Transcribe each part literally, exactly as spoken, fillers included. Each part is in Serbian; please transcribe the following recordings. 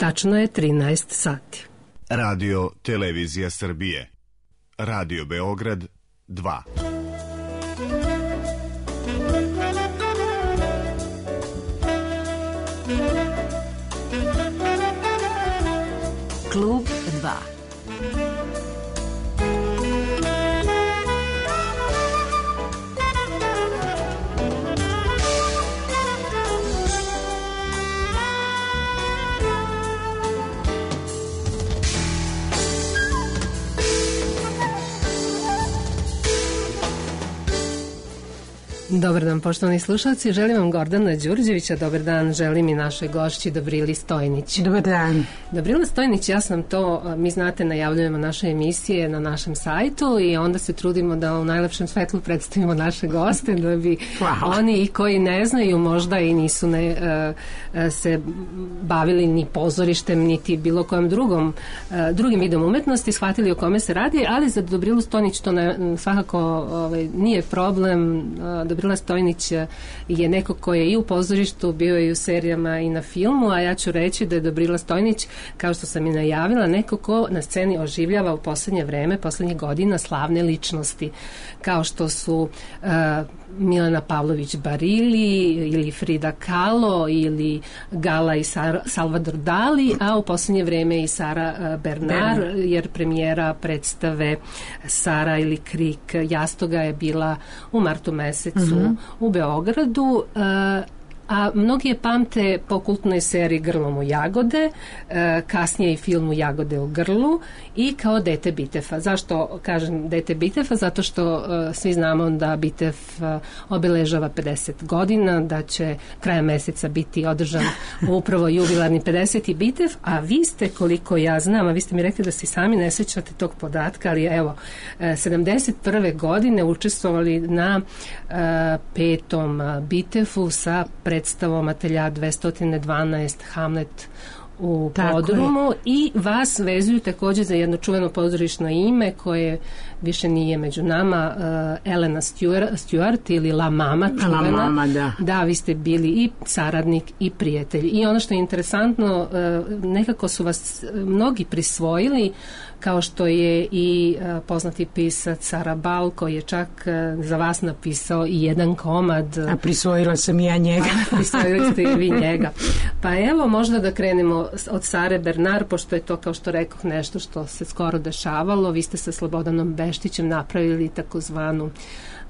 Tačno je trinaest sati. Radio Televizija Srbije. Radio Beograd dva. Klub dva. Dobar dan, poštovani slušalci. Želim vam Gordana Đurđevića. Dobar dan, želim i našoj gošći Dobrili Stojnić. Dobar dan. Dobrila Stojnić, ja sam to, mi znate, najavljujemo naše emisije na našem sajtu i onda se trudimo da u najlepšem svetlu predstavimo naše goste, da bi wow. oni i koji ne znaju, možda i nisu ne, uh, se bavili ni pozorištem, niti bilo kojem drugom, uh, drugim vidom umetnosti, shvatili o kome se radi, ali za Dobrilu Stojnić to ne, svakako ovaj, nije problem. Uh, Dobrila Stojnić je neko ko je i u pozorištu, bio je i u serijama i na filmu, a ja ću reći da je Dobrila Stojnić, kao što sam i najavila, neko ko na sceni oživljava u poslednje vreme, poslednjih godina slavne ličnosti, kao što su uh, Milena Pavlović Barili ili Frida Kahlo ili Gala i Sar- Salvador Dali, a u poslednje vreme i Sara uh, Bernard, jer premijera predstave Sara ili Krik Jastoga je bila u martu mesecu mm-hmm. u Beogradu, uh, a mnogi je pamte po kultnoj seriji Grlom u jagode, e, kasnije i filmu Jagode u grlu i kao Dete Bitefa. Zašto kažem Dete Bitefa? Zato što e, svi znamo da Bitef e, obeležava pedeset godina, da će kraja meseca biti održan upravo jubilarni pedeseti Bitef, a vi ste, koliko ja znam, a vi ste mi rekli da se sami ne sećate tog podatka, ali evo, e, sedamdeset prve godine učestvovali na e, petom Bitefu sa pred predstavom Atelja dvesta dvanaest Hamlet u Podrumu i vas vezuju takođe za jedno čuveno pozorišno ime koje više nije među nama, uh, Elena Stewart, Stewart ili La Mama čuvena. La Mama, da. Da, vi ste bili i saradnik i prijatelj. I ono što je interesantno, uh, nekako su vas mnogi prisvojili, kao što je i uh, poznati pisac Sara Bal, koji je čak uh, za vas napisao i jedan komad. A prisvojila sam i ja njega. Prisvojili ste i vi njega. Pa evo, možda da krenemo od Sare Bernard, pošto je to, kao što rekoh, nešto što se skoro dešavalo. Vi ste sa Slobodanom Beštićem napravili takozvanu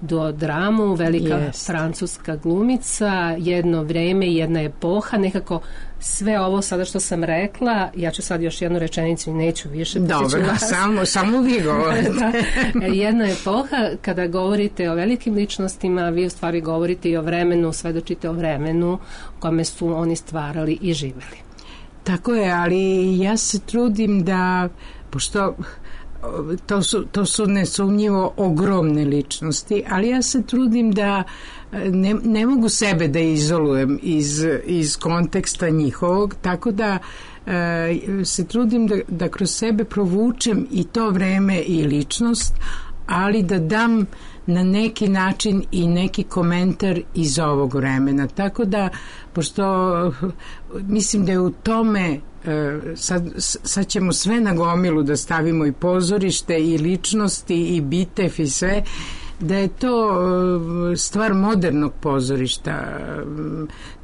duodramu, velika yes. francuska glumica, jedno vreme i jedna epoha, nekako sve ovo sada što sam rekla, ja ću sad još jednu rečenicu i neću više. Dobro, samo, samo vi govorite. Da, jedna epoha, kada govorite o velikim ličnostima, vi u stvari govorite i o vremenu, svedočite o vremenu u kome su oni stvarali i živeli. Tako je, ali ja se trudim da, pošto to su, to su nesumnjivo ogromne ličnosti, ali ja se trudim da ne, ne mogu sebe da izolujem iz, iz konteksta njihovog, tako da e, se trudim da, da kroz sebe provučem i to vreme i ličnost, ali da dam na neki način i neki komentar iz ovog vremena. Tako da, pošto mislim da je u tome, sad, sad ćemo sve na gomilu da stavimo i pozorište i ličnosti i Bitef i sve, da je to stvar modernog pozorišta.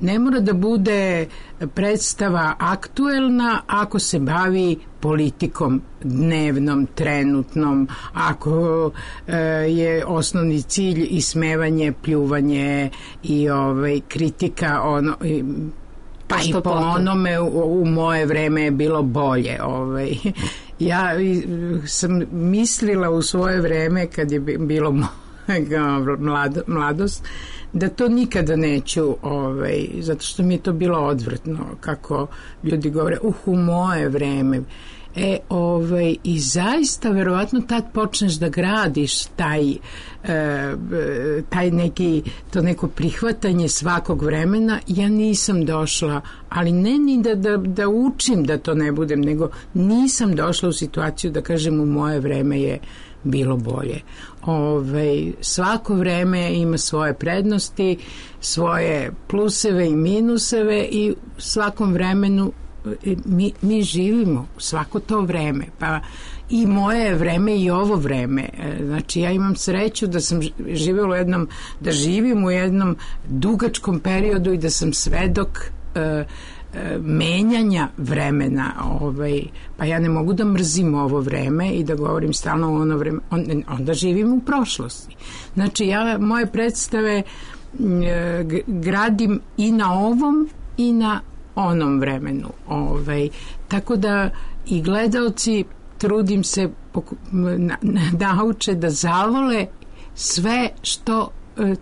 Ne mora da bude predstava aktuelna ako se bavi politikom dnevnom, trenutnom, ako e, je osnovni cilj ismevanje, pljuvanje i ovaj, kritika ono, i, pa i po onome u, u moje vreme je bilo bolje. Ovaj. Ja sam mislila u svoje vreme kad je bilo mlad, mladost da to nikada neću, ovaj, zato što mi je to bilo odvrtno kako ljudi govore, uh, u moje vreme. E, ovaj, i zaista verovatno tad počneš da gradiš taj, e, taj neki, to neko prihvatanje svakog vremena. Ja nisam došla, ali ne ni da, da, da učim da to ne budem, nego nisam došla u situaciju da kažem u moje vreme je bilo bolje. Ove, svako vreme ima svoje prednosti, svoje pluseve i minuseve i svakom vremenu mi, mi živimo svako to vreme, pa i moje vreme i ovo vreme. Znači ja imam sreću da sam živjela u jednom, da živim u jednom dugačkom periodu i da sam svedok e, menjanja vremena, ovaj, pa ja ne mogu da mrzim ovo vreme i da govorim stalno o ono vreme, on, onda živim u prošlosti. Znači ja moje predstave g- gradim i na ovom i na onom vremenu, ovaj, tako da i gledaoci trudim se poku- na, na, nauče da zavole sve što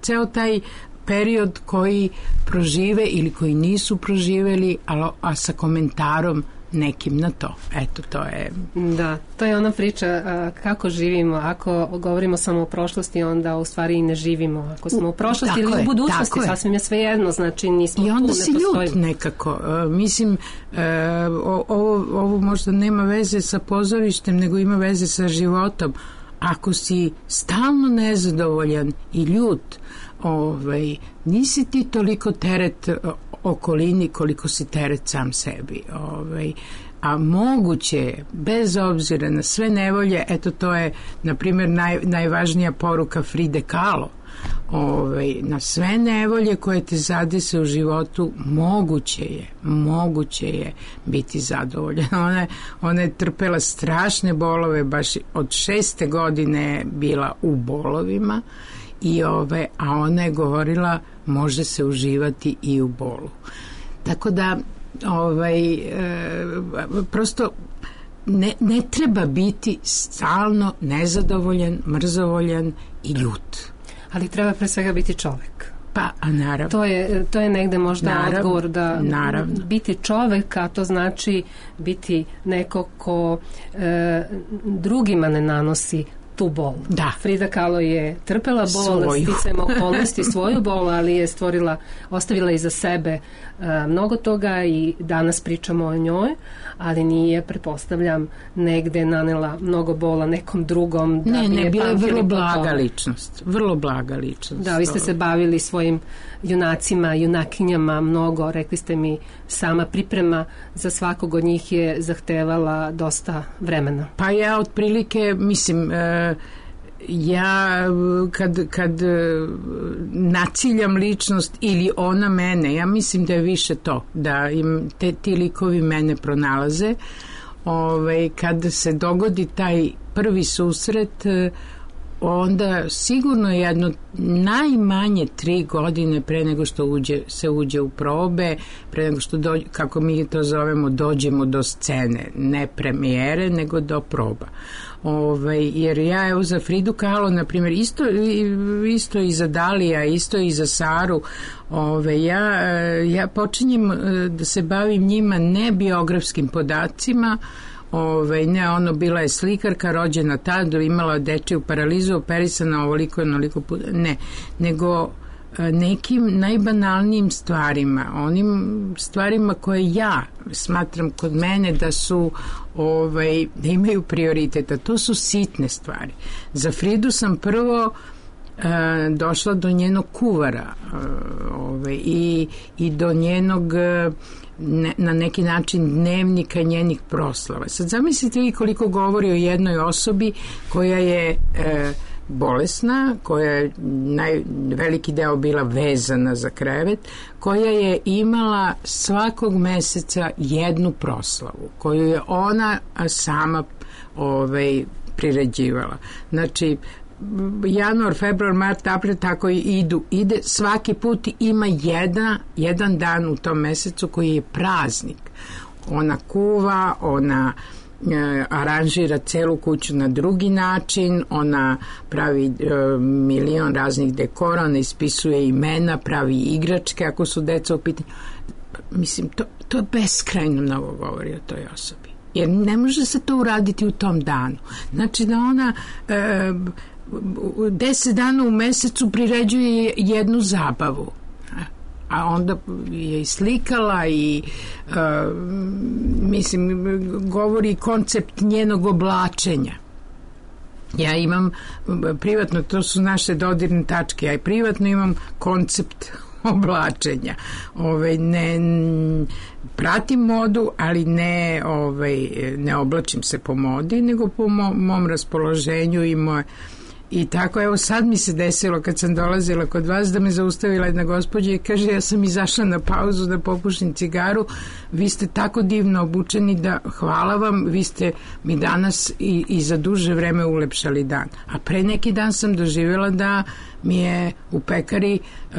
ceo taj period koji prožive ili koji nisu proživeli, a, a sa komentarom nekim na to. Eto, to je... Da, to je ona priča a, kako živimo. Ako govorimo samo o prošlosti, onda u stvari i ne živimo. Ako smo u prošlosti ili u budućnosti, sasvim je sve jedno, znači nismo tu, ne postojimo. I onda si ljut nekako. Uh, mislim, uh, ovo, ovo možda nema veze sa pozorištem, nego ima veze sa životom. Ako si stalno nezadovoljan i ljut, ovaj, nisi ti toliko teret okolini koliko si teret sam sebi. Ovaj, a moguće je, bez obzira na sve nevolje, eto to je, na primjer, naj, najvažnija poruka Fride Kahlo, ovaj, na sve nevolje koje te zadese u životu, moguće je, moguće je biti zadovoljan. Ona je, ona je trpela strašne bolove, baš od šeste godine je bila u bolovima, i ove, a ona je govorila može se uživati i u bolu. Tako da ovaj, e, prosto ne, ne treba biti stalno nezadovoljan, mrzovoljan i ljut. Ali treba pre svega biti čovek. Pa, a naravno. To je, to je negde možda naravno, odgovor da naravno. Biti čovek, a to znači biti neko ko e, drugima ne nanosi tu bol. Da. Frida Kahlo je trpela bol, sticajem okolnosti svoju bol, ali je stvorila, ostavila iza sebe uh, mnogo toga i danas pričamo o njoj, ali nije, pretpostavljam, negde nanela mnogo bola nekom drugom. Da ne, bi ne, bila je vrlo blaga tome. ličnost. Vrlo blaga ličnost. Da, vi ste se bavili svojim junacima, junakinjama mnogo, rekli ste mi, sama priprema za svakog od njih je zahtevala dosta vremena. Pa ja otprilike, mislim, e, ja kad, kad naciljam ličnost ili ona mene, ja mislim da je više to, da im te, ti likovi mene pronalaze. Ove, kad se dogodi taj prvi susret, onda sigurno jedno najmanje tri godine pre nego što uđe, se uđe u probe, pre nego što dođe, kako mi to zovemo, dođemo do scene, ne premijere nego do proba. Ove, jer ja evo za Fridu Kahlo, na primjer, isto, isto i za Dalija, isto i za Saru, ove, ja, ja počinjem da se bavim njima ne biografskim podacima. Ove, ne, ono, bila je slikarka, rođena tada, imala dečiju paralizu, operisana ovoliko i onoliko puta, ne, nego nekim najbanalnijim stvarima, onim stvarima koje ja smatram kod mene da su ovaj, da imaju prioriteta, to su sitne stvari. Za Fridu sam prvo e, došla do njenog kuvara e, ovaj, i, i do njenog e, Ne, na neki način dnevnika njenih proslava. Sad zamislite vi koliko govori o jednoj osobi koja je e, bolesna, koja je naj, veliki deo bila vezana za krevet, koja je imala svakog meseca jednu proslavu koju je ona sama ovaj, priređivala. Znači januar, februar, mart, april, tako i idu. Ide, svaki put ima jedna, jedan dan u tom mesecu koji je praznik. Ona kuva, ona e, aranžira celu kuću na drugi način, ona pravi e, milion raznih dekora, ona ispisuje imena, pravi igračke ako su deca u pitanju. Mislim, to, to beskrajno mnogo govori o toj osobi. Jer ne može se to uraditi u tom danu. Znači da ona e, deset dana u mesecu priređuje jednu zabavu, a onda je i slikala i uh, mislim govori koncept njenog oblačenja. Ja imam privatno, to su naše dodirne tačke, ja i privatno imam koncept oblačenja. Ovaj, ne pratim modu, ali ne, ovaj, ne oblačim se po modi, nego po mom, mom raspoloženju i moje. I tako, evo sad mi se desilo kad sam dolazila kod vas da me zaustavila jedna gospođa i kaže, ja sam izašla na pauzu da popušim cigaru, vi ste tako divno obučeni da hvala vam, vi ste mi danas i, i za duže vreme ulepšali dan. A pre neki dan sam doživjela da mi je u pekari uh,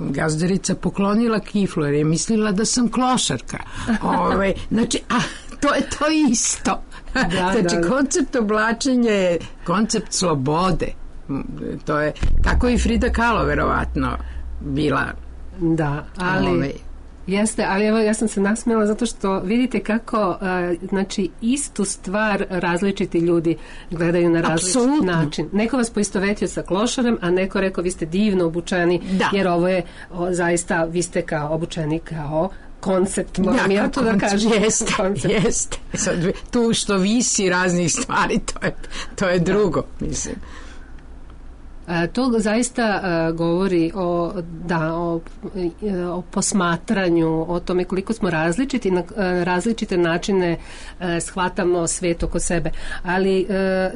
gazdarica poklonila kiflu jer je mislila da sam klošarka. Ove, znači, a to je to isto. Da, znači, da, da. Koncept oblačenja je koncept slobode. To je, tako i Frida Kahlo verovatno bila. Da, ali ove. Jeste, ali evo ja sam se nasmijela zato što vidite kako uh, znači istu stvar različiti ljudi gledaju na različit Absolutno. način. Neko vas poistovetio sa klošarem, a neko rekao vi ste divno obučeni, da. jer ovo je o, zaista, vi ste kao obučeni kao koncept, moram ja, ja to da kažem. Jeste, jeste. Sad, tu što visi raznih stvari, to je, to je drugo, mislim. E, to zaista e, govori o, da, o, o posmatranju, o tome koliko smo različiti, na e, različite načine e, shvatamo svet oko sebe. Ali e,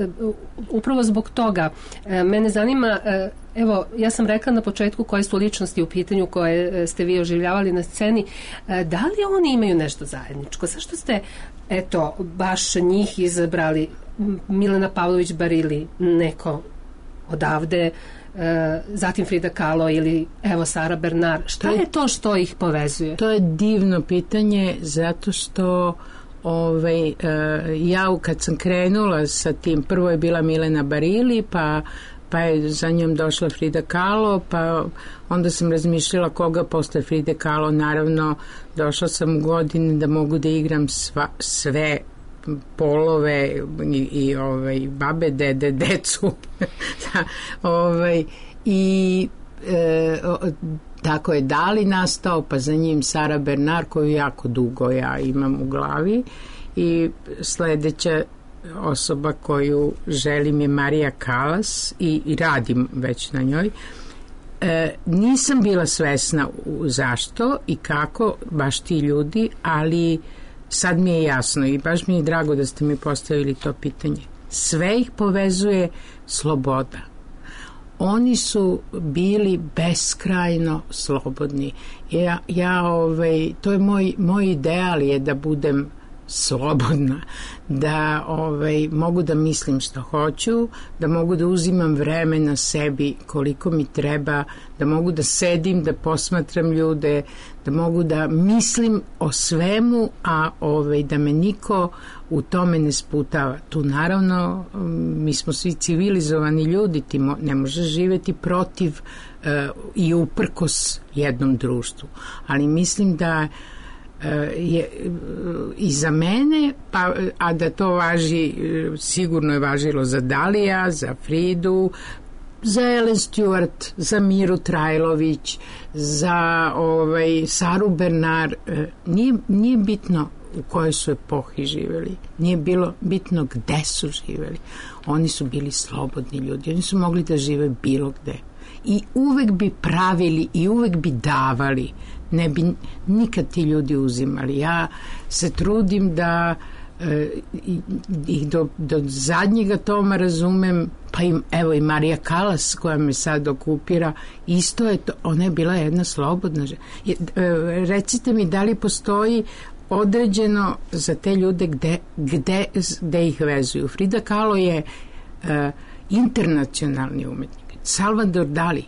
upravo zbog toga e, mene zanima, e, evo, ja sam rekla na početku koje su ličnosti u pitanju koje ste vi oživljavali na sceni. E, da li oni imaju nešto zajedničko? Zašto ste, eto, baš njih izabrali? Milena Pavlović Barili, neko odavde, e, zatim Frida Kahlo ili evo Sara Bernard. Šta je to što ih povezuje? To je divno pitanje zato što ovaj, e, ja kad sam krenula sa tim, prvo je bila Milena Barili, pa pa je za njom došla Frida Kahlo, pa onda sam razmišljala koga posle Fride Kahlo. Naravno, došla sam u godine da mogu da igram sva, sve polove i, i ovaj, babe, dede, decu. ovaj, I e, tako je Dali nastao, pa za njim Sara Bernard, koju jako dugo ja imam u glavi, i sledeća osoba koju želim je Marija Kalas i, i radim već na njoj. E, nisam bila svesna u zašto i kako baš ti ljudi, ali sad mi je jasno i baš mi je drago da ste mi postavili to pitanje. Sve ih povezuje sloboda. Oni su bili beskrajno slobodni. Ja, ja ovaj, to je moj, moj ideal je da budem slobodna, da ovaj, mogu da mislim što hoću, da mogu da uzimam vreme na sebi koliko mi treba, da mogu da sedim, da posmatram ljude, da mogu da mislim o svemu, a ovaj, da me niko u tome ne sputava. Tu naravno mi smo svi civilizovani ljudi, ti mo, ne možeš živeti protiv uh, i uprkos jednom društvu, ali mislim da je i za mene, pa, a da to važi, sigurno je važilo za Dalija, za Fridu, za Ellen Stewart, za Miru Trajlović, za ovaj, Saru Bernard. Nije, nije bitno u kojoj su epohi živjeli, nije bilo bitno gde su živjeli. Oni su bili slobodni ljudi, oni su mogli da žive bilo gde. I uvek bi pravili i uvek bi davali, ne bi nikad ti ljudi uzimali. Ja se trudim da e, ih do, do zadnjega toma razumem, pa im, evo i Marija Kalas koja me sad okupira, isto je to, ona je bila jedna slobodna žena. E, recite mi da li postoji određeno za te ljude gde, gde, gde ih vezuju. Frida Kahlo je e, internacionalni umetnik. Salvador Dali,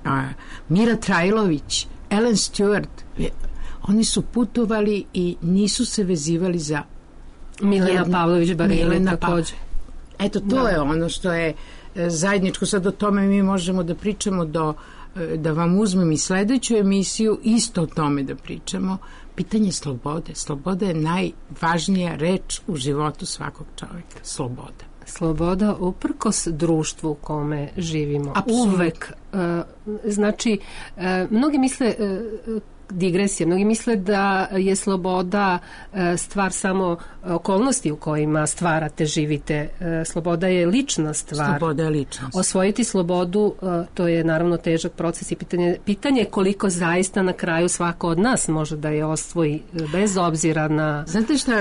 a, Mira Trajlović, Ellen Stewart, oni su putovali i nisu se vezivali za Milena jedno, Pavlović Barili takođe. Eto, to da. je ono što je zajedničko. Sad o tome mi možemo da pričamo do, da vam uzmem i sledeću emisiju, isto o tome da pričamo. Pitanje slobode. Sloboda je najvažnija reč u životu svakog čovjeka. Sloboda. Sloboda uprkos društvu u kome živimo. Absolutno. Uvek. Uh, znači, uh, mnogi misle uh, digresija. Mnogi misle da je sloboda stvar samo okolnosti u kojima stvarate, živite. Sloboda je lična stvar. Sloboda je lična. Osvojiti slobodu, to je naravno težak proces i pitanje, pitanje koliko zaista na kraju svako od nas može da je osvoji bez obzira na... Znate šta,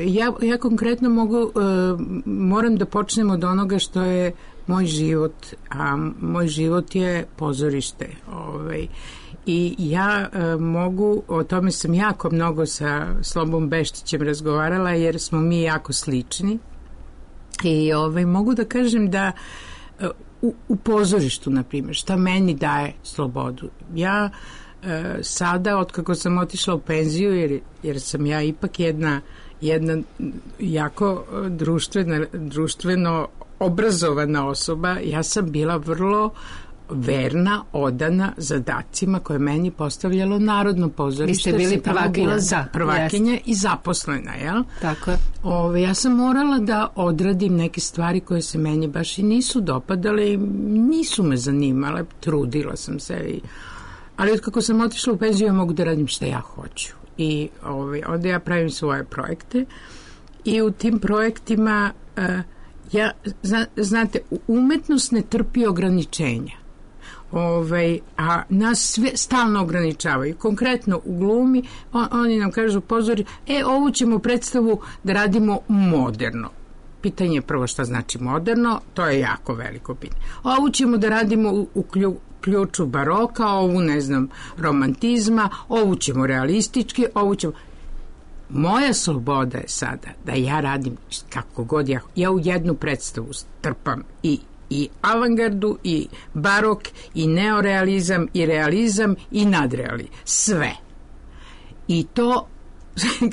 ja, ja konkretno mogu, moram da počnem od onoga što je moj život, a moj život je pozorište. Ovaj. I ja e, mogu, o tome sam jako mnogo sa Slobom Beštićem razgovarala, jer smo mi jako slični. I ovaj, mogu da kažem da e, u, u pozorištu, na primjer, šta meni daje slobodu. Ja e, sada, otkako sam otišla u penziju, jer, jer sam ja ipak jedna, jedna jako društvena, društveno obrazovana osoba, ja sam bila vrlo verna, odana zadacima koje meni postavljalo Narodno pozorište. Vi ste bili prvakinja. Za, prvakinja i zaposlena, jel? Tako je. Ove, ja sam morala da odradim neke stvari koje se meni baš i nisu dopadale i nisu me zanimale, trudila sam se. I, ali od kako sam otišla u penziju, ja mogu da radim šta ja hoću. I ove, onda ja pravim svoje projekte i u tim projektima uh, ja, zna, znate, umetnost ne trpi ograničenja. Ove, a nas sve stalno ograničavaju. Konkretno u glumi on, oni nam kažu pozori, e, ovu ćemo predstavu da radimo moderno. Pitanje je prvo šta znači moderno, to je jako veliko pitanje. Ovu ćemo da radimo u, u klju, ključu baroka, ovu ne znam romantizma, ovu ćemo realistički, ovu ćemo... Moja sloboda je sada da ja radim kako god ja, ja u jednu predstavu trpam i, i avangardu, i barok, i neorealizam, i realizam, i nadrealizam. Sve. I to,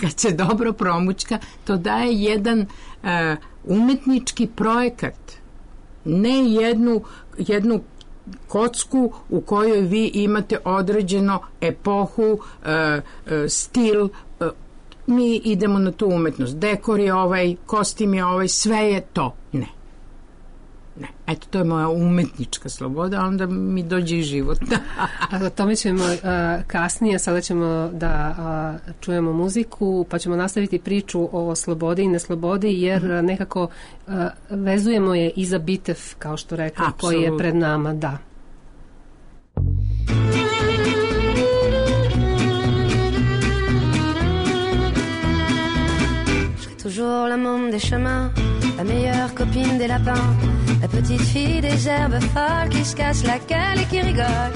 kad se dobro promućka, to daje jedan uh, umetnički projekat. Ne jednu, jednu kocku u kojoj vi imate određeno epohu, uh, uh, stil, uh, mi idemo na tu umetnost. Dekor je ovaj, kostim je ovaj, sve je to. Ne. Ne. Eto, to je moja umetnička sloboda, onda mi dođe i život. O tome ćemo uh, kasnije, sada ćemo da uh, čujemo muziku, pa ćemo nastaviti priču o slobodi i neslobodi, jer mm-hmm. nekako uh, vezujemo je i za bitev, kao što rekao, koji je pred nama. Da. Toujours la môme des chemins, la meilleure copine des lapins, la petite fille des herbes folles qui se casse la gueule et qui rigole.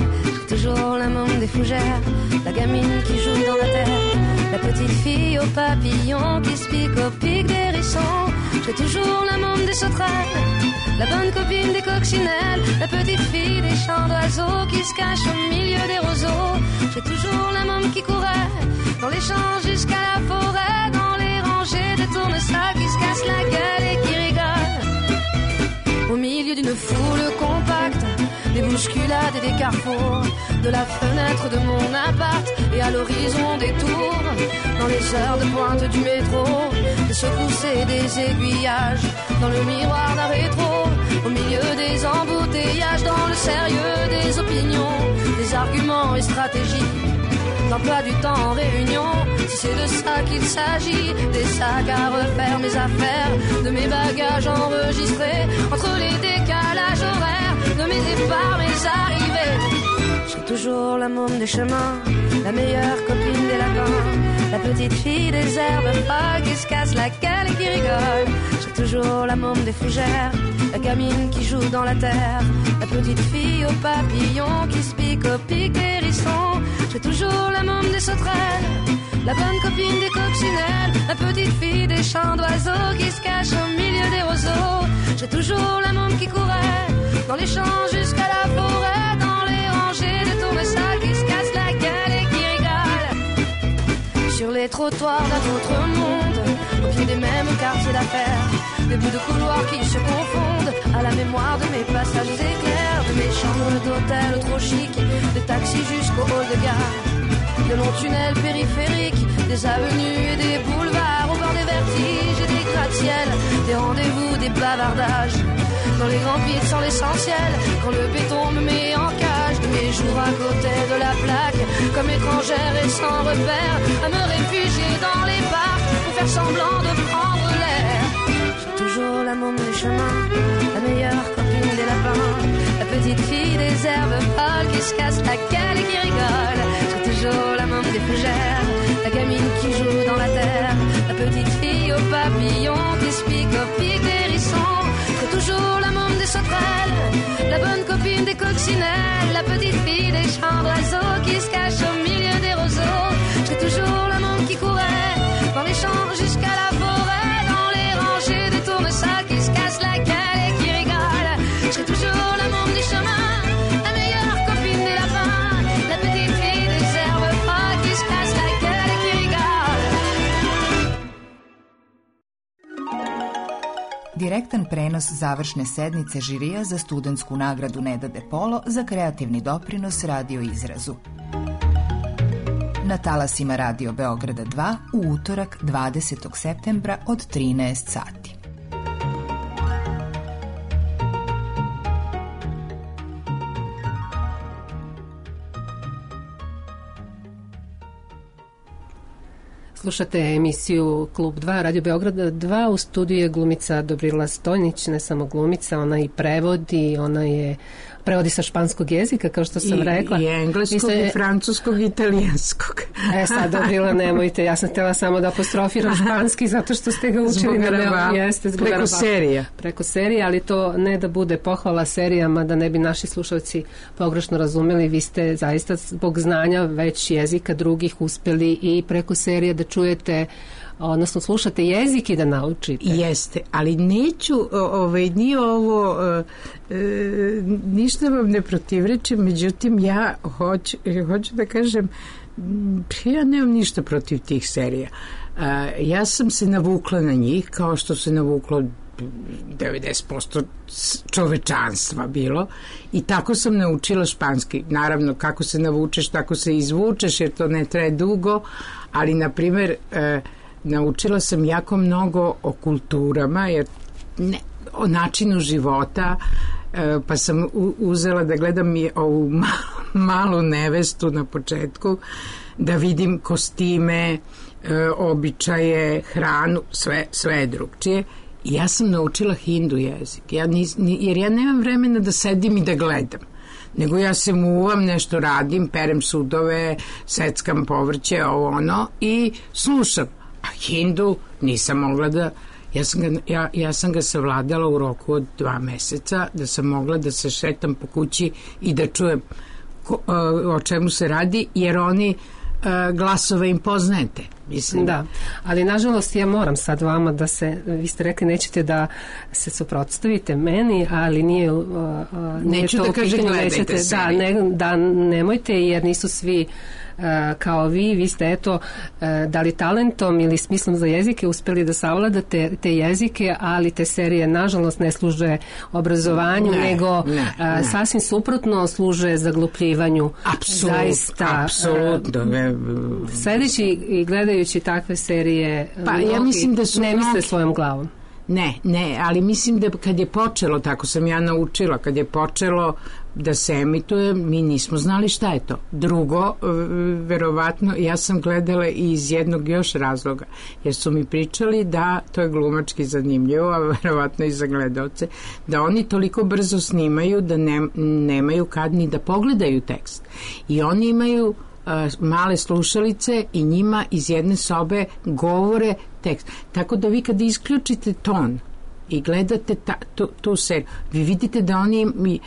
Toujours la môme des fougères, la gamine qui joue dans la terre, la petite fille aux papillons qui se pique au pic des hérissons. J'ai toujours la môme des sauterelles, la bonne copine des coccinelles, la petite fille des champs d'oiseaux qui se cache au milieu des roseaux. J'ai toujours la môme qui courait dans les champs jusqu'à la forêt, dans les rangées de tournesols qui se cassent la gueule et qui rigolent. Au milieu d'une foule compacte, des bousculades et des carrefours, de la fenêtre de mon appart et à l'horizon des tours, dans les heures de pointe du métro, des secousses et des aiguillages, dans le miroir d'un rétro, au milieu des embouteillages, dans le sérieux des opinions, des arguments et stratégies, d'emploi du temps en réunion, si c'est de ça qu'il s'agit, des sacs à refaire, mes affaires, de mes bagages enregistrés, entre les décalages horaires, de mes départs, mes arrivées. J'ai toujours la môme des chemins, la meilleure copine des lapins, la petite fille des herbes folles qui se casse la gueule et qui rigole. J'ai toujours la môme des fougères, la gamine qui joue dans la terre, la petite fille aux papillons qui se pique au pic des hérissons. J'ai toujours la môme des sauterelles, la bonne copine des coccinelles, la petite fille des champs d'oiseaux qui se cache au milieu des roseaux. J'ai toujours la môme qui courait dans les champs jusqu'à la forêt, dans les rangées de tournesols qui se cassent la gueule et qui rigolent. Sur les trottoirs d'un autre monde, au pied des mêmes quartiers d'affaires, des bouts de couloirs qui se confondent à la mémoire de mes passages éclairs, de mes chambres d'hôtel trop chic, des taxis jusqu'au hall de gare, de longs tunnels périphériques, des avenues et des boulevards au bord des vertiges et des gratte-ciels, des rendez-vous, des bavardages. Quand les grands vides sont l'essentiel, quand le béton me met en cage, de mes jours à côté de la plaque, comme étrangère et sans repère, à me réfugier dans les parcs pour faire semblant de prendre l'air. J'ai toujours la môme des chemins, la meilleure copine des lapins, la petite fille des herbes folles qui se casse la gueule et qui rigole. J'ai toujours la môme des fougères, la gamine qui joue dans la terre, la petite fille aux papillons qui se pique au pic des hérissons. J'ai toujours la môme des sauterelles, la bonne copine des coccinelles, la petite fille des champs d'oiseaux qui se cache au milieu des roseaux. J'ai toujours la môme qui courait dans les champs jusqu'à la forêt, dans les rangées des tournesols qui se cassent la gueule et qui rigolent. J'ai toujours la môme du chemin, la meilleure copine des lapins, la petite fille des herbes folles qui se casse la gueule et qui rigole. Direktan prenos završne sednice žirija za studentsku nagradu Neda de Polo za kreativni doprinos radio izrazu. Na talasima Radio Beograda dva u utorak dvadesetog septembra od trinaest sati. Slušate emisiju Klub dva, Radio Beograda dva, u studiju je glumica Dobrila Stojnić, ne samo glumica, ona i prevodi, ona je prevodi sa španskog jezika, kao što sam I, rekla. I engleskog, ste, i francuskog, i italijanskog. E sad, Dobrila, nemojte, ja sam htjela samo da apostrofiram španski, zato što ste ga učili na me, jeste, zbog preko serija. Preko serija, ali to ne da bude pohvala serijama, da ne bi naši slušalci pogrešno razumeli, vi ste zaista zbog znanja već jezika drugih uspeli i preko serije da čujete, odnosno slušate jezik i da naučite. Jeste, ali neću, ovaj, nije ovo, e, ništa vam ne protivrečem, međutim ja hoću, hoću da kažem, ja nemam ništa protiv tih serija. E, ja sam se navukla na njih, kao što se navuklo devedeset posto čovečanstva bilo, i tako sam naučila španski. Naravno, kako se navučeš, tako se izvučeš, jer to ne traje dugo, ali, na primjer, e, naučila sam jako mnogo o kulturama, jer ne, o načinu života, e, pa sam u, uzela da gledam i ovu malu, malu nevestu na početku, da vidim kostime, e, običaje, hranu, sve, sve je drugčije. I ja sam naučila hindu jezik, ja nis, jer ja nemam vremena da sedim i da gledam, nego ja se muvam, nešto radim, perem sudove, seckam povrće, ovo ono, i slušam. A hindu nisam mogla da, ja sam ga, ja, ja sam ga savladala u roku od dva meseca, da sam mogla da se šetam po kući i da čujem ko, o čemu se radi, jer oni glasove im poznajete. Mislim. Da, ali nažalost ja moram sad vama da se, vi ste rekli nećete da se suprotstavite meni, ali nije, uh, nije neću to da kažem gledajte nećete, da, ne, da nemojte, jer nisu svi uh, kao vi, vi ste eto uh, da li talentom ili smislom za jezike uspeli da savladate te jezike, ali te serije nažalost ne služe obrazovanju, ne, nego ne, ne. Uh, sasvim suprotno služe zaglupljivanju. Apsolut, zaista, apsolutno. Uh, sledeći i gledajući takve serije, pa ja mislim da su ne misle mnogi svojom glavom. Ne, ne, ali mislim da kad je počelo, tako sam ja naučila, kad je počelo da se emituje, mi nismo znali šta je to. Drugo, verovatno, ja sam gledala iz jednog još razloga, jer su mi pričali da, to je glumački zanimljivo, a verovatno i za gledalce, da oni toliko brzo snimaju da ne, nemaju kad ni da pogledaju tekst. I oni imaju male slušalice i njima iz jedne sobe govore tekst. Tako da vi kad isključite ton i gledate ta, tu, tu seriju, vi vidite da oni im,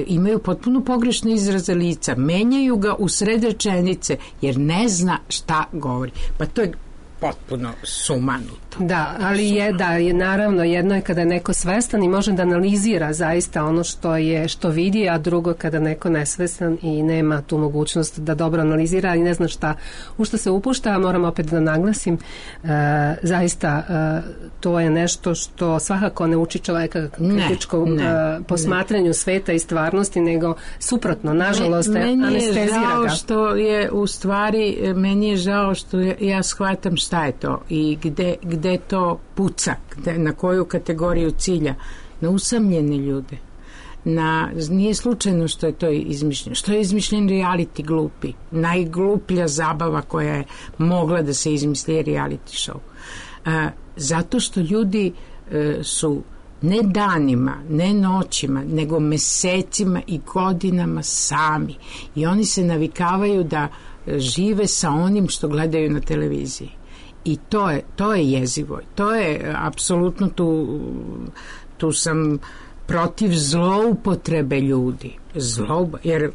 imaju potpuno pogrešne izraze lica, menjaju ga u sred rečenice jer ne zna šta govori. Pa to je potpuno sumanuto. Da, ali je, da, je naravno jedno je kada je neko svestan i može da analizira zaista ono što je, što vidi, a drugo kada neko nesvestan i nema tu mogućnost da dobro analizira i ne zna šta, u što se upušta. Moram opet da naglasim, e, zaista e, to je nešto što svakako ne uči čoveka kritičkom ne, ne, posmatranju ne. sveta i stvarnosti, nego suprotno, nažalost, Me, anestezira ga. Meni je žao što je, u stvari, meni je žao što ja, ja shvatam šta je to i gde, gde to puca, gde, na koju kategoriju cilja, na usamljene ljude. Na, nije slučajno što je to izmišljeno. Što je izmišljen reality glupi? Najgluplja zabava koja je mogla da se izmisli je reality show. A, zato što ljudi e, su ne danima, ne noćima, nego mesecima i godinama sami. I oni se navikavaju da žive sa onim što gledaju na televiziji. I to je, to je jezivo. To je apsolutno tu, tu sam protiv zloupotrebe ljudi. Zlouba, jer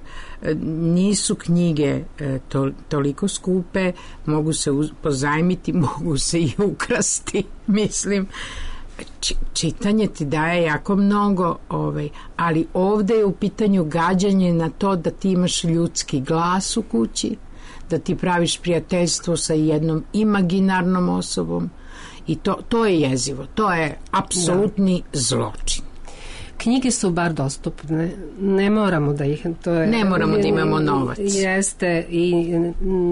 nisu knjige to, toliko skupe, mogu se uz, pozajmiti, mogu se i ukrasti, mislim. Č, čitanje ti daje jako mnogo, ovaj, ali ovde je u pitanju gađanje na to da ti imaš ljudski glas u kući, da ti praviš prijateljstvo sa jednom imaginarnom osobom i to, to je jezivo, to je apsolutni da. zločin. Knjige su bar dostupne, ne moramo da ih... To je, ne moramo da imamo novac. Jeste, i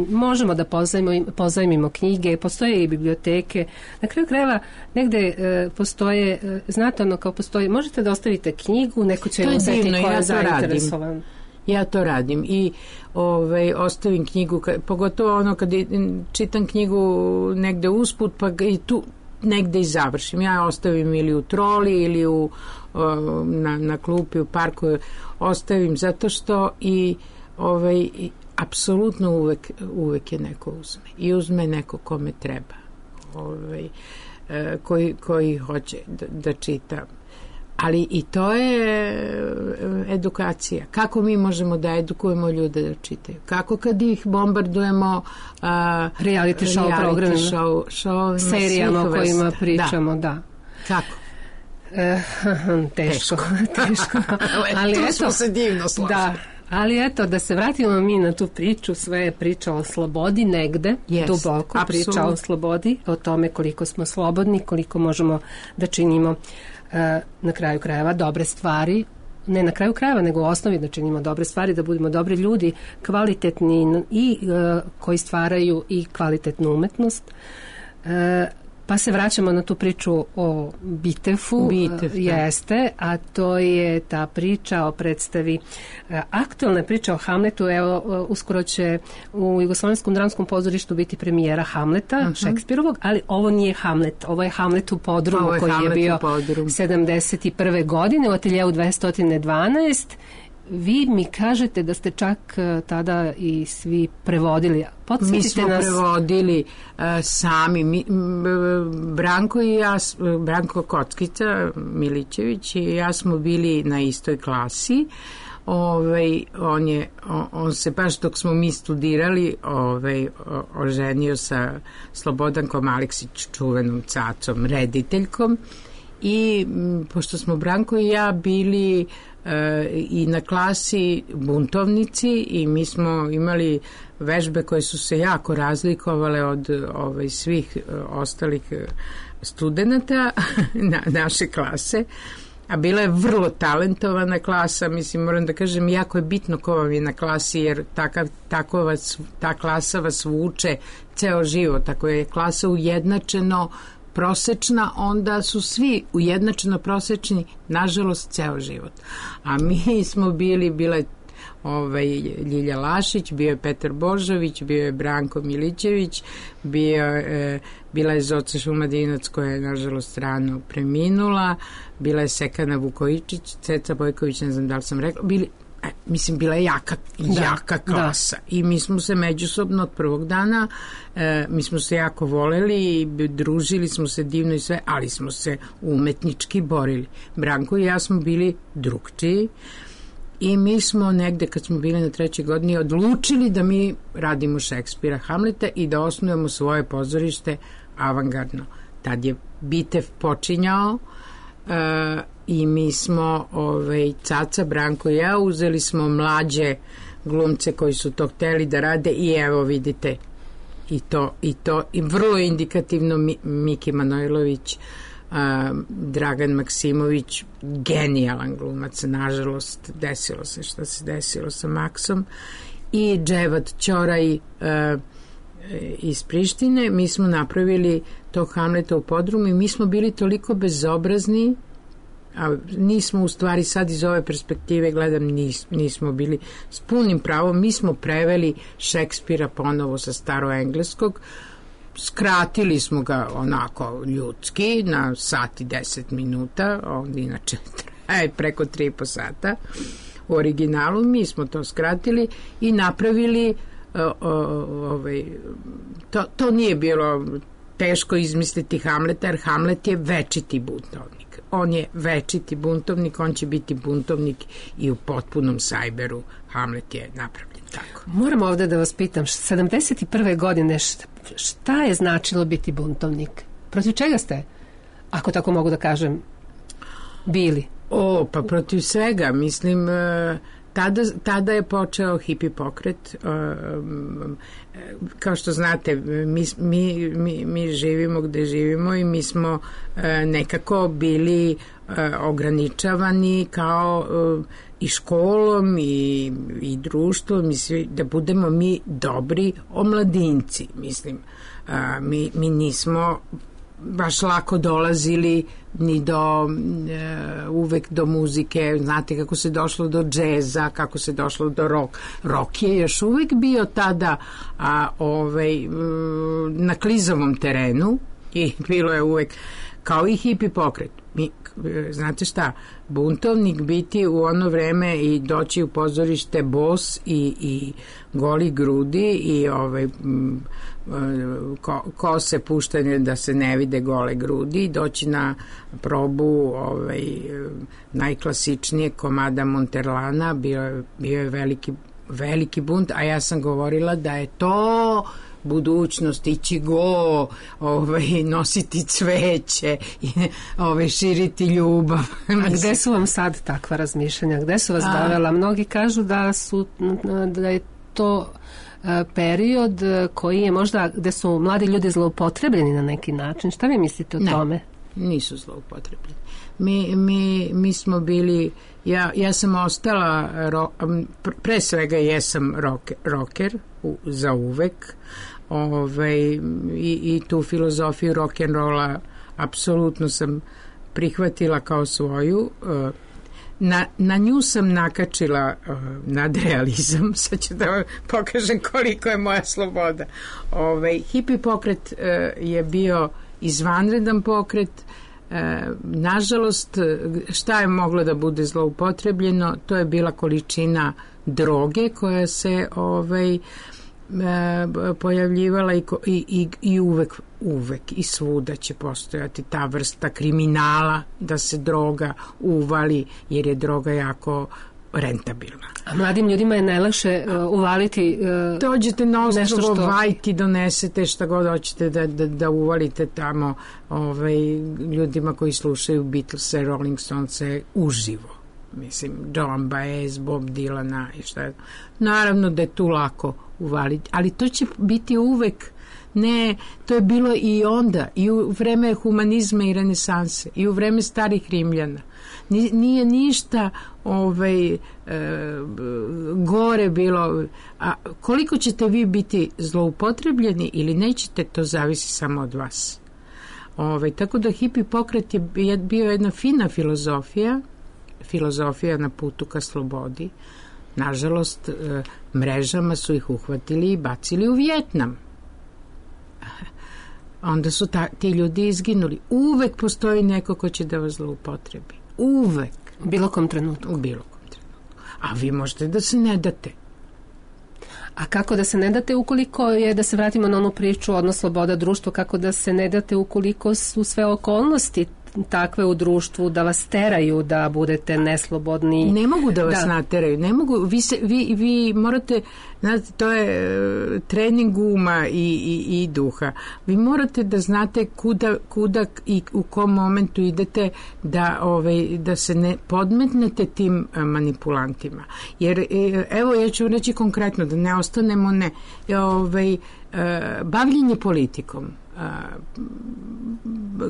možemo da pozajmimo, pozajmimo knjige, postoje i biblioteke. Na kraju krajeva negde e, postoje, e, znate ono kao postoje, možete da ostavite knjigu, neko će je uzeti koja je zainteresovan. Ja to radim i ovaj, ostavim knjigu, pogotovo ono kad čitam knjigu negde usput, pa i tu negde i završim. Ja ostavim ili u troli ili u, na, na klupi u parku, ostavim zato što i ovaj, apsolutno uvek, uvek je neko uzme. I uzme neko kome treba. Ovaj, koji, koji hoće da, da čita. Ali i to je edukacija. Kako mi možemo da edukujemo ljude da čitaju? Kako kad ih bombardujemo uh, reality show reality programima, show, show, serijama o kojima pričamo, da. da. Kako? E, teško, teško. teško. Ali tu eto, smo se divno složili. Da. Ali eto, da se vratimo mi na tu priču, sve je priča o slobodi negde, yes, duboko absolut. Priča o slobodi, o tome koliko smo slobodni, koliko možemo da činimo na kraju krajeva dobre stvari, ne na kraju krajeva nego u osnovi da činimo dobre stvari, da budemo dobri ljudi, kvalitetni i uh, koji stvaraju i kvalitetnu umetnost. Uh, pa se vraćamo na tu priču o Bitefu, Bitef, jeste, a to je ta priča o predstavi, uh, aktualna priča o Hamletu. Evo, uh, uskoro će u Jugoslovenskom dramskom pozorištu biti premijera Hamleta, uh-huh. Šekspirovog, ali ovo nije Hamlet, ovo je Hamlet u podrumu je koji Hamlet je bio sedamdeset prve godine u ateljeu dvesta dvanaest. Vi mi kažete da ste čak uh, tada i svi prevodili. Podsjetite mi smo nas... prevodili uh, sami. Mi, m, Branko i ja, Branko Kockica Milićević i ja smo bili na istoj klasi. Ovaj, on, je, on, on se baš dok smo mi studirali ovaj, o, oženio sa Slobodankom Aleksić, čuvenom cacom, rediteljkom. I m, pošto smo Branko i ja bili e, i na klasi buntovnici i mi smo imali vežbe koje su se jako razlikovale od ovaj, svih e, ostalih studenata na, naše klase, a bila je vrlo talentovana klasa, mislim, moram da kažem, jako je bitno ko vam je na klasi, jer takav, tako vas, ta klasa vas vuče ceo život. Ako je klasa ujednačeno prosečna, onda su svi ujednačeno prosečni, nažalost, ceo život. A mi smo bili, bila je ovaj, Ljilja Lašić, bio je Petar Božović, bio je Branko Milićević, bio, e, bila je Zoca Šumadinac koja je, nažalost, rano preminula, bila je Sekana Vukojičić, Ceca Bojković, ne znam da li sam rekla, bili, e, mislim, bila je jaka, da, jaka klasa. Da. I mi smo se međusobno od prvog dana, e, mi smo se jako voleli i družili smo se divno i sve, ali smo se umetnički borili. Branko i ja smo bili drugčiji i mi smo negde kad smo bili na trećoj godini odlučili da mi radimo Šekspira, Hamleta i da osnujemo svoje pozorište avangardno. Tad je Bitev počinjao uh, i mi smo ovaj, Caca, Branko i ja uzeli smo mlađe glumce koji su to hteli da rade i evo vidite i to, i to i vrlo indikativno Mi, Miki Manojlović, Uh, Dragan Maksimović, genijalan glumac, nažalost desilo se što se desilo sa Maksom, i Dževad Ćoraj, uh, iz Prištine, mi smo napravili tog Hamleta u podrumu i mi smo bili toliko bezobrazni, a nismo u stvari sad iz ove perspektive gledam nis, nismo bili s punim pravom, mi smo preveli Šekspira ponovo sa staroengleskog, skratili smo ga onako ljudski na sat i deset minuta, on inače traje preko tri i po sata u originalu, mi smo to skratili i napravili o, o, ovaj, to, to nije bilo teško izmisliti Hamleta, jer Hamlet je večiti buntovnik. On je večiti buntovnik, on će biti buntovnik i u potpunom sajberu. Hamlet je napravljen tako. Moram ovde da vas pitam, sedamdeset prve godine šta, šta je značilo biti buntovnik? Protiv čega ste, ako tako mogu da kažem, bili? O, pa protiv svega, mislim, tada, tada je počeo hipi pokret. Kao što znate, mi, mi, mi, mi živimo gde živimo i mi smo nekako bili ograničavani kao i školom i, i društvom i svi, da budemo mi dobri omladinci, mislim. Mi, mi nismo baš lako dolazili ni do e, uvek do muzike, znate kako se došlo do džeza, kako se došlo do rock. Rock je još uvek bio tada a, ovaj, na klizavom terenu i bilo je uvek kao i hipi pokret. Mi, znate šta, buntovnik biti u ono vreme i doći u pozorište bos i, i goli grudi i ovaj ko, kose puštanje da se ne vide gole grudi, doći na probu ovaj najklasičnije komada Monterlana, bio, bio je veliki, veliki bunt, a ja sam govorila da je to budućnost, ići go, ovaj, nositi cveće, ovaj, širiti ljubav. A gde su vam sad takva razmišljanja? Gde su vas A... dovela? Mnogi kažu da su da je to period koji je možda, gde su mladi ljudi zloupotrebljeni na neki način. Šta vi mislite o ne, tome? Nisu zloupotrebljeni. Mi, mi, mi smo bili, ja, ja sam ostala, ro, pre svega jesam rocker, rocker u, za uvek, ovaj, i, i tu filozofiju rock'n'rolla apsolutno sam prihvatila kao svoju. Na, na nju sam nakačila uh, nadrealizam, sad ću da vam pokažem koliko je moja sloboda. Ovaj, hipi pokret uh, je bio izvanredan pokret. Uh, nažalost, šta je moglo da bude zloupotrebljeno? To je bila količina droge koja se ovaj, pojavljivala i, i, i, i uvek, uvek i svuda će postojati ta vrsta kriminala da se droga uvali jer je droga jako rentabilna. A mladim ljudima je najlakše uh, uvaliti uh, dođete na ostrvo što... Vajti, donesete šta god hoćete da, da, da uvalite tamo ovaj, ljudima koji slušaju Beatlese, Rolling Stonese uživo. Mislim, Joan Baez, Bob Dylana i šta je. Naravno da je tu lako uvaliti, ali to će biti uvek. Ne, to je bilo i onda, i u vreme humanizma i renesanse, i u vreme starih Rimljana. Nije ništa ovaj, e, gore bilo. A koliko ćete vi biti zloupotrebljeni ili nećete, to zavisi samo od vas. Ovaj, tako da hipi pokret je bio jedna fina filozofija, filozofija na putu ka slobodi. Nažalost, e, mrežama su ih uhvatili i bacili u Vijetnam. Onda su ta, ti ljudi izginuli. Uvek postoji neko ko će da vas zloupotrebi. Uvek. U bilo kom trenutku. U bilo kom trenutku. A vi možete da se ne date. A kako da se ne date ukoliko je, da se vratimo na onu priču, odnos sloboda društva, kako da se ne date ukoliko su sve okolnosti takve u društvu da vas teraju da budete neslobodni. Ne mogu da vas da. nateraju, ne mogu, vi, se, vi, vi morate, znate, to je uh, trening uma i, i, i duha. Vi morate da znate kuda, kuda i u kom momentu idete da, ovaj, da se ne podmetnete tim uh, manipulantima. Jer, uh, evo, ja ću reći konkretno, da ne ostanemo ne, ovaj, uh, bavljenje politikom,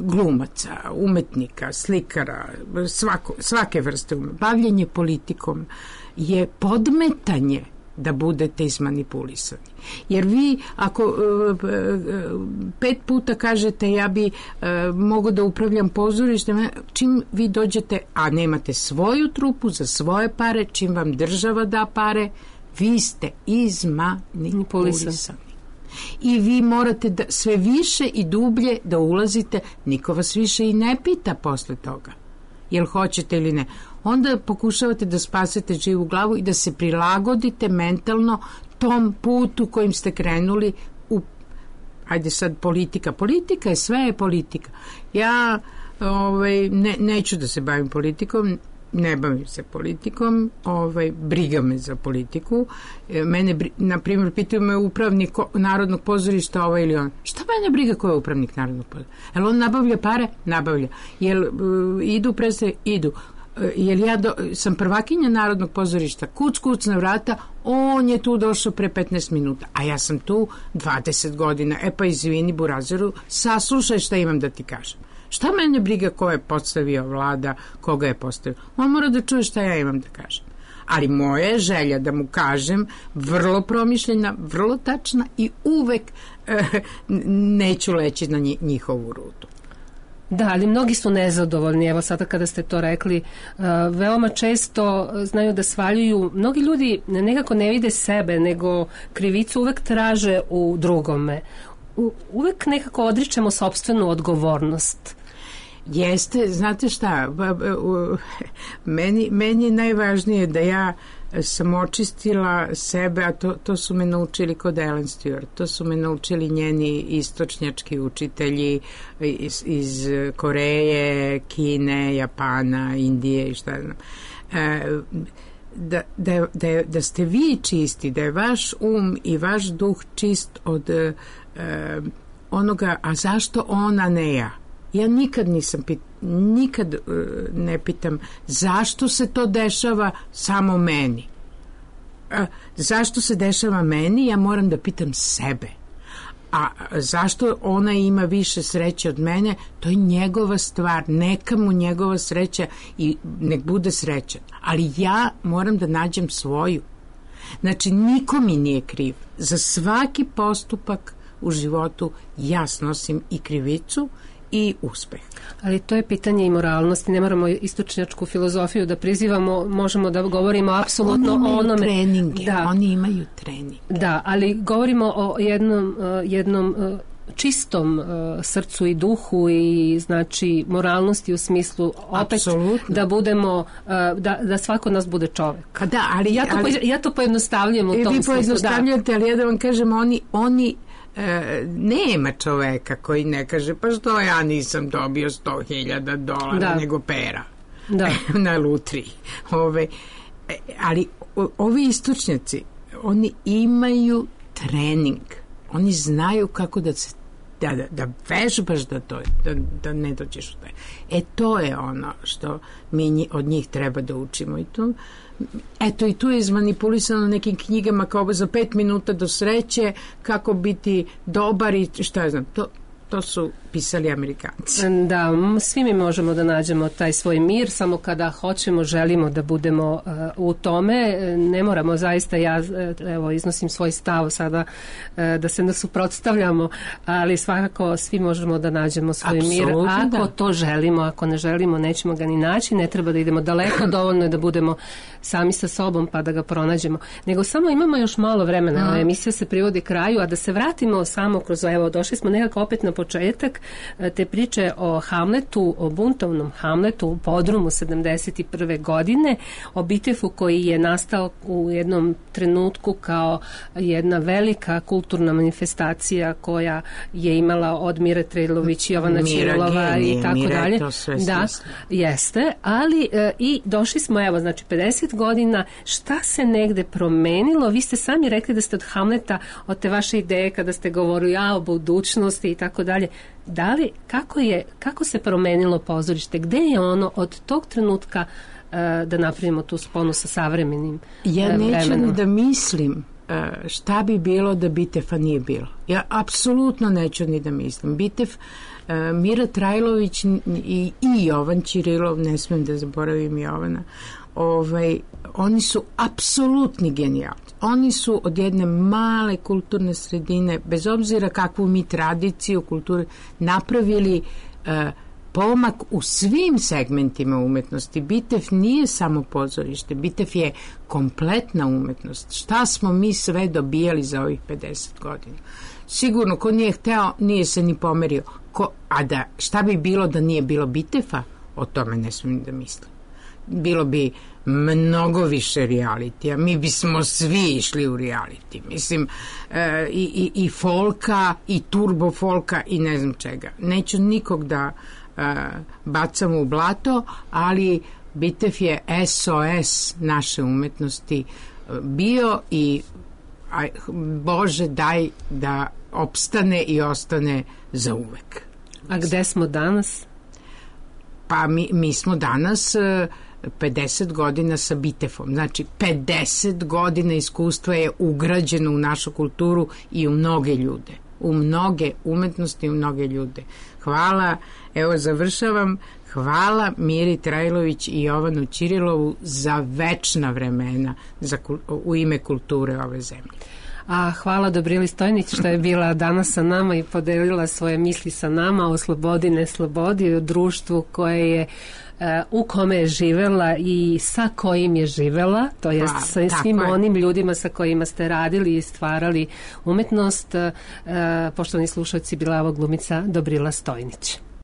glumaca, umetnika, slikara, svako, svake vrste umetnika. Bavljenje politikom je podmetanje da budete izmanipulisani. Jer vi ako uh, pet puta kažete ja bi uh, mogu da upravljam pozorištem, čim vi dođete, a nemate svoju trupu za svoje pare, čim vam država da pare, vi ste izmanipulisani. I vi morate da sve više i dublje da ulazite, niko vas više i ne pita posle toga jel hoćete ili ne. Onda pokušavate da spasete živu glavu i da se prilagodite mentalno tom putu kojim ste krenuli u, ajde sad politika, politika je, sve je politika. Ja ovaj, ne, neću da se bavim politikom, ne bavim se politikom, ovaj, briga me za politiku. Mene, na primjer, pitaju me upravnik Narodnog pozorišta ovaj ili on. Šta mene briga ko je upravnik Narodnog pozorišta? Jel on nabavlja pare? Nabavlja. Jel uh, idu predstave? Idu. Uh, jel ja do, sam prvakinja Narodnog pozorišta? Kuc, kuc na vrata, on je tu došao pre petnaest minuta, a ja sam tu dvadeset godina. E pa izvini Burazeru, saslušaj šta imam da ti kažem. Šta mene briga ko je postavio vlada, koga je postavio? On mora da čuje šta ja imam da kažem. Ali moja je želja da mu kažem vrlo promišljena, vrlo tačna i uvek eh, neću leći na njihovu rutu. Da, ali mnogi su nezadovoljni, evo sada kada ste to rekli, uh, veoma često znaju da svaljuju, mnogi ljudi nekako ne vide sebe, nego krivicu uvek traže u drugome. U, uvek nekako odričemo sopstvenu odgovornost. Jeste, znate šta, meni, meni je najvažnije da ja sam očistila sebe, a to, to su me naučili kod Ellen Stewart, to su me naučili njeni istočnjački učitelji iz, iz Koreje, Kine, Japana, Indije i šta znam. E, da, da, da, da ste vi čisti, da je vaš um i vaš duh čist od e, onoga, a zašto ona ne ja? Ja nikad nisam pit, nikad uh, ne pitam zašto se to dešava samo meni. Uh, zašto se dešava meni? Ja moram da pitam sebe. A zašto ona ima više sreće od mene? To je njegova stvar. Neka mu njegova sreća i nek bude srećan. Ali ja moram da nađem svoju. Znači, niko mi nije kriv. Za svaki postupak u životu ja snosim i krivicu i uspeh. Ali to je pitanje i moralnosti, ne moramo istočnjačku filozofiju da prizivamo, možemo da govorimo apsolutno o onome. Treninge, da. Oni imaju trening. Da, ali govorimo o jednom, jednom čistom srcu i duhu i znači moralnosti u smislu opet apsolutno. Da budemo, da, da svako od nas bude čovek. Da, ali, ja, to, ali, ja to pojednostavljam u tom smislu. Vi pojednostavljate, da. Ali ja da vam kažem, oni, oni E, nema čoveka koji ne kaže pa što ja nisam dobio sto hiljada dolara da. Nego pera da. Na lutriji. Ove, ali o, ovi istočnjaci oni imaju trening, oni znaju kako da se da, da, da vežbaš da, to, da, da ne dođeš u taj. E to je ono što mi od njih treba da učimo i to. Eto i tu je izmanipulisano nekim knjigama kao za pet minuta do sreće, kako biti dobar i šta ja znam, to, to su pisali Amerikanci. Da, svi mi možemo da nađemo taj svoj mir, samo kada hoćemo, želimo da budemo uh, u tome, ne moramo zaista, ja evo iznosim svoj stav sada uh, da se ne suprotstavljamo, ali svakako svi možemo da nađemo svoj Absolutno, mir, ako da. To želimo, ako ne želimo, nećemo ga ni naći, ne treba da idemo daleko, dovoljno je da budemo sami sa sobom pa da ga pronađemo. Nego samo imamo još malo vremena, mm. emisija se privodi kraju, a da se vratimo samo kroz, evo, došli smo nekako opet na početak te priče o Hamletu, o buntovnom Hamletu u podrumu sedamdeset prve godine, o Bitefu koji je nastao u jednom trenutku kao jedna velika kulturna manifestacija koja je imala od Mire Trejlović, Jovana Ćirolova i tako Mire, dalje. Da, jeste, ali e, i došli smo, evo, znači pedeset godina, šta se negde promenilo? Vi ste sami rekli da ste od Hamleta, od te vaše ideje kada ste govorili ja, o budućnosti i tako dalje. Da li, kako je, kako se promenilo pozorište? Gde je ono od tog trenutka uh, da napravimo tu sponu sa savremenim uh, ja neću vremenom? Ni da mislim uh, šta bi bilo da Bitefa nije bilo. Ja apsolutno neću ni da mislim. Bitef, uh, Mira Trajlović i, i Jovan Ćirilov, ne smijem da zaboravim Jovana, ovaj, oni su apsolutni genijalci. Oni su od jedne male kulturne sredine, bez obzira kakvu mi tradiciju kulture, napravili uh, pomak u svim segmentima umetnosti. Bitev nije samo pozorište, Bitev je kompletna umetnost. Šta smo mi sve dobijali za ovih pedeset godina? Sigurno, ko nije hteo, nije se ni pomerio. Ko, a da, šta bi bilo da nije bilo Biteva? O tome ne smijem da mislim. Bilo bi mnogo više realitija. Mi bismo svi išli u reality. Mislim, e, i, i, i folka, i turbo folka, i ne znam čega. Neću nikog da e, bacam u blato, ali Bitev je S O S naše umetnosti bio i a, Bože daj da opstane i ostane za uvek. A gde smo danas? Pa mi, mi smo danas pedeset godina sa Bitevom. Znači, pedeset godina iskustva je ugrađeno u našu kulturu i u mnoge ljude. U mnoge umetnosti i u mnoge ljude. Hvala, evo završavam, hvala Miri Trajlović i Jovanu Ćirilovu za večna vremena za, u ime kulture ove zemlje. A hvala Dobrili Stojnić što je bila danas sa nama i podelila svoje misli sa nama o slobodi, neslobodi, o društvu koje je u kome je živela i sa kojim je živela, to jest pa, sa svim onim ljudima sa kojima ste radili i stvarali umetnost. Poštovani slušalci, bila je ovo glumica Dobrila Stojnić.